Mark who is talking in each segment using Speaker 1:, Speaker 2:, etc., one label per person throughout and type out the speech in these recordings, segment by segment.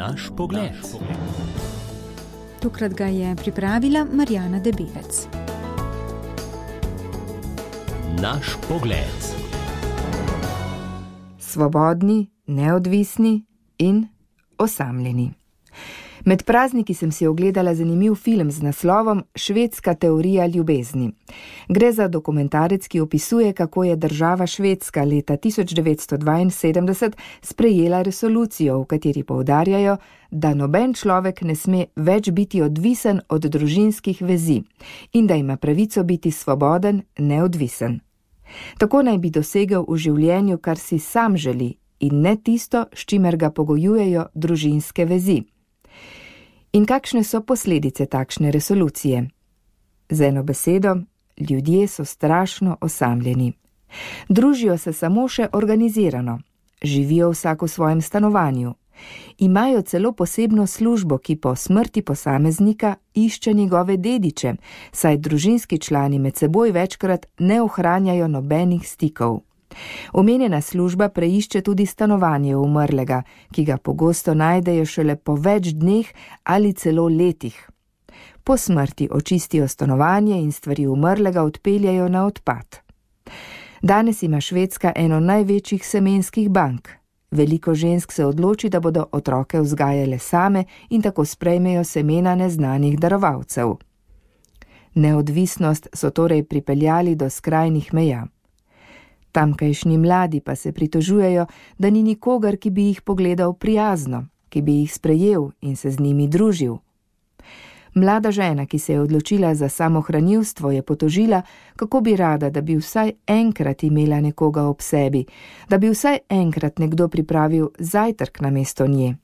Speaker 1: Naš pogled.
Speaker 2: Tokrat ga je pripravila Marjana Debevec.
Speaker 1: Naš pogled.
Speaker 3: Svobodni, neodvisni in osamljeni. Med prazniki sem si ogledala zanimiv film z naslovom Švedska teorija ljubezni. Gre za dokumentarec, ki opisuje, kako je država Švedska leta 1972 sprejela resolucijo, v kateri poudarjajo, da noben človek ne sme več biti odvisen od družinskih vezi in da ima pravico biti svoboden, neodvisen. Tako naj bi dosegel v življenju, kar si sam želi, in ne tisto, s čimer ga pogojujejo družinske vezi. In kakšne so posledice takšne resolucije? Z eno besedo, ljudje so strašno osamljeni. Družijo se samo še organizirano, živijo vsak v svojem stanovanju, imajo celo posebno službo, ki po smrti posameznika išče njegove dediče, saj družinski člani med seboj večkrat ne ohranjajo nobenih stikov. Omenjena služba preišče tudi stanovanje umrlega, ki ga pogosto najdejo šele po več dneh ali celo letih. Po smrti očistijo stanovanje in stvari umrlega odpeljajo na odpad. Danes ima Švedska eno največjih semenskih bank. Veliko žensk se odloči, da bodo otroke vzgajale same in tako sprejmejo semena neznanih darovalcev. Neodvisnost so torej pripeljali do skrajnih meja. Tamkajšnji mladi pa se pritožujejo, da ni nikogar, ki bi jih pogledal prijazno, ki bi jih sprejel in se z njimi družil. Mlada žena, ki se je odločila za samohranilstvo, je potožila, kako bi rada, da bi vsaj enkrat imela nekoga ob sebi, da bi vsaj enkrat nekdo pripravil zajtrk namesto nje.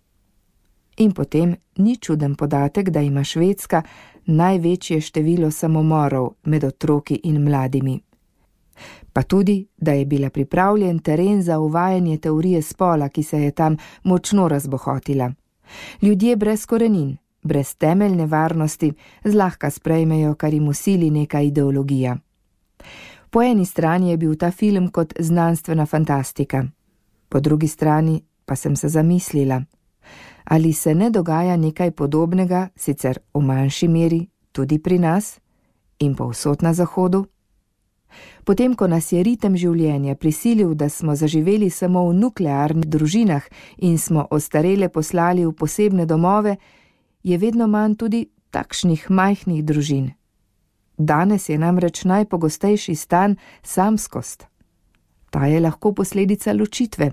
Speaker 3: In potem ni čuden podatek, da ima Švedska največje število samomorov med otroki in mladimi. Pa tudi, da je bila pripravljen teren za uvajanje teorije spola, ki se je tam močno razbohotila. Ljudje brez korenin, brez temeljne varnosti, zlahka sprejmejo, kar jim vsili neka ideologija. Po eni strani je bil ta film kot znanstvena fantastika, po drugi strani pa sem se zamislila, ali se ne dogaja nekaj podobnega, sicer v manjši meri, tudi pri nas in povsod na Zahodu. Potem, ko nas je ritem življenja prisilil, da smo zaživeli samo v nuklearnih družinah in smo ostarele poslali v posebne domove, je vedno manj tudi takšnih majhnih družin. Danes je namreč najpogostejši stan samskost. Ta je lahko posledica ločitve,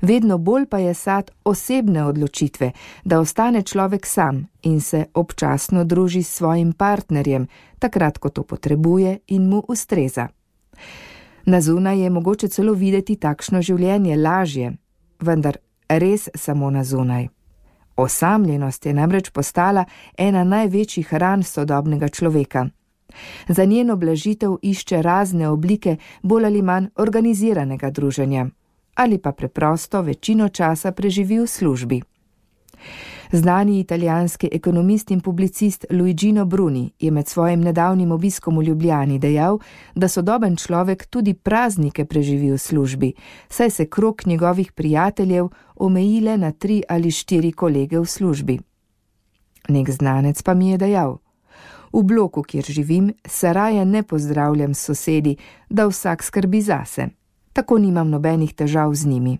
Speaker 3: vedno bolj pa je sad osebne odločitve, da ostane človek sam in se občasno druži s svojim partnerjem, takrat, ko to potrebuje in mu ustreza. Na zunaj je mogoče celo videti takšno življenje lažje, vendar res samo na zunaj. Osamljenost je namreč postala ena največjih ran sodobnega človeka. Za njeno blažitev išče razne oblike bolj ali manj organiziranega druženja, ali pa preprosto večino časa preživi v službi. Znani italijanski ekonomist in publicist Luigino Bruni je med svojim nedavnim obiskom v Ljubljani dejal, da sodoben človek tudi praznike preživi v službi, saj se krog njegovih prijateljev omejile na 3 ali 4 kolege v službi. Nek znanec pa mi je dejal: v bloku, kjer živim, se raje ne pozdravljam s sosedi, da vsak skrbi zase. Tako nimam nobenih težav z njimi.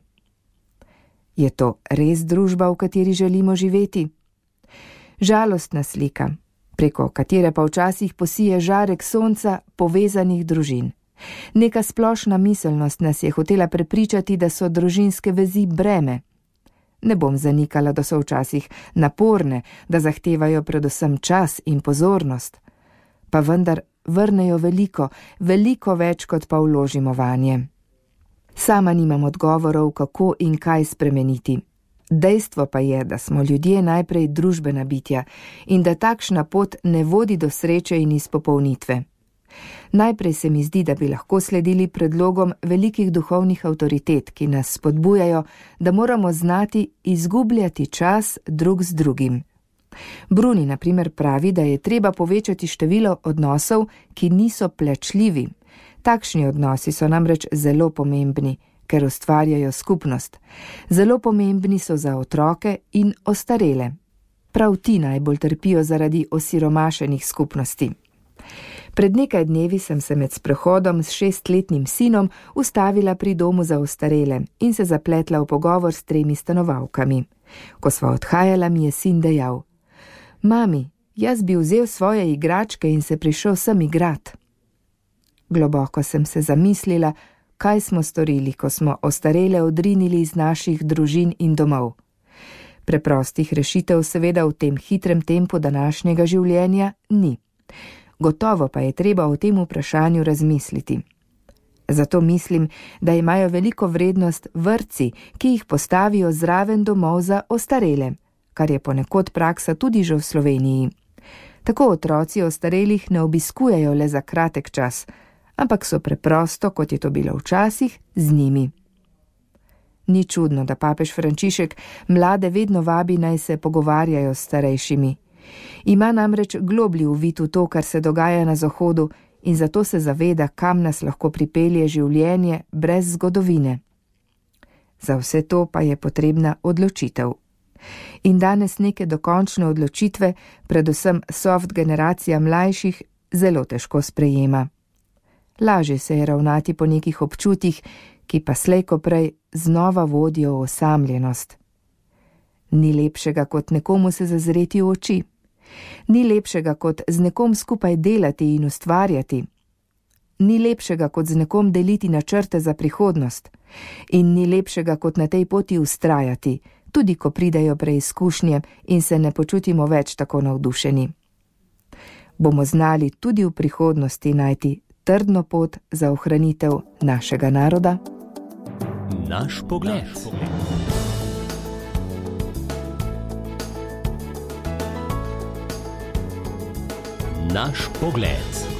Speaker 3: Je to res družba, v kateri želimo živeti? Žalostna slika, preko katere pa včasih posije žarek sonca povezanih družin. Neka splošna miselnost nas je hotela prepričati, da so družinske vezi breme. Ne bom zanikala, da so včasih naporne, da zahtevajo predvsem čas in pozornost. Pa vendar vrnejo veliko, veliko več, kot pa vložimo vanje. Sama nimam odgovorov, kako in kaj spremeniti. Dejstvo pa je, da smo ljudje najprej družbena bitja in da takšna pot ne vodi do sreče in izpopolnitve. Najprej se mi zdi, da bi lahko sledili predlogom velikih duhovnih avtoritet, ki nas spodbujajo, da moramo znati izgubljati čas drug z drugim. Bruni na primer pravi, da je treba povečati število odnosov, ki niso plačljivi. Takšni odnosi so namreč zelo pomembni, ker ustvarjajo skupnost. Zelo pomembni so za otroke in ostarele. Prav ti najbolj trpijo zaradi osiromašenih skupnosti. Pred nekaj dnevi sem se med sprehodom s 6-letnim sinom ustavila pri domu za ostarele in se zapletla v pogovor s 3 stanovalkami. Ko sva odhajala, mi je sin dejal: Mami, jaz bi vzel svoje igračke in se prišel sem igrat. Globoko sem se zamislila, kaj smo storili, ko smo ostarele odrinili iz naših družin in domov. Preprostih rešitev seveda v tem hitrem tempu današnjega življenja ni. Gotovo pa je treba o tem vprašanju razmisliti. Zato mislim, da imajo veliko vrednost vrtci, ki jih postavijo zraven domov za ostarele, kar je ponekod praksa tudi že v Sloveniji. Tako otroci ostarelih ne obiskujejo le za kratek čas, ampak so preprosto, kot je to bilo včasih, z njimi. Ni čudno, da papež Frančišek mlade vedno vabi, naj se pogovarjajo s starejšimi. Ima namreč globlji uvid v to, kar se dogaja na Zahodu, in zato se zaveda, kam nas lahko pripelje življenje brez zgodovine. Za vse to pa je potrebna odločitev. In danes neke dokončne odločitve, predvsem soft generacija mlajših, zelo težko sprejema. Lažje se je ravnati po nekih občutjih, ki pa slej ko prej znova vodijo v osamljenost. Ni lepšega, kot nekomu se zazreti v oči. Ni lepšega, kot z nekom skupaj delati in ustvarjati. Ni lepšega, kot z nekom deliti načrte za prihodnost. In ni lepšega, kot na tej poti ustrajati, tudi ko pridejo preizkušnje in se ne počutimo več tako navdušeni. Bomo znali tudi v prihodnosti najti trdno pot za ohranitev našega naroda?
Speaker 1: Naš pogled. Naš pogled.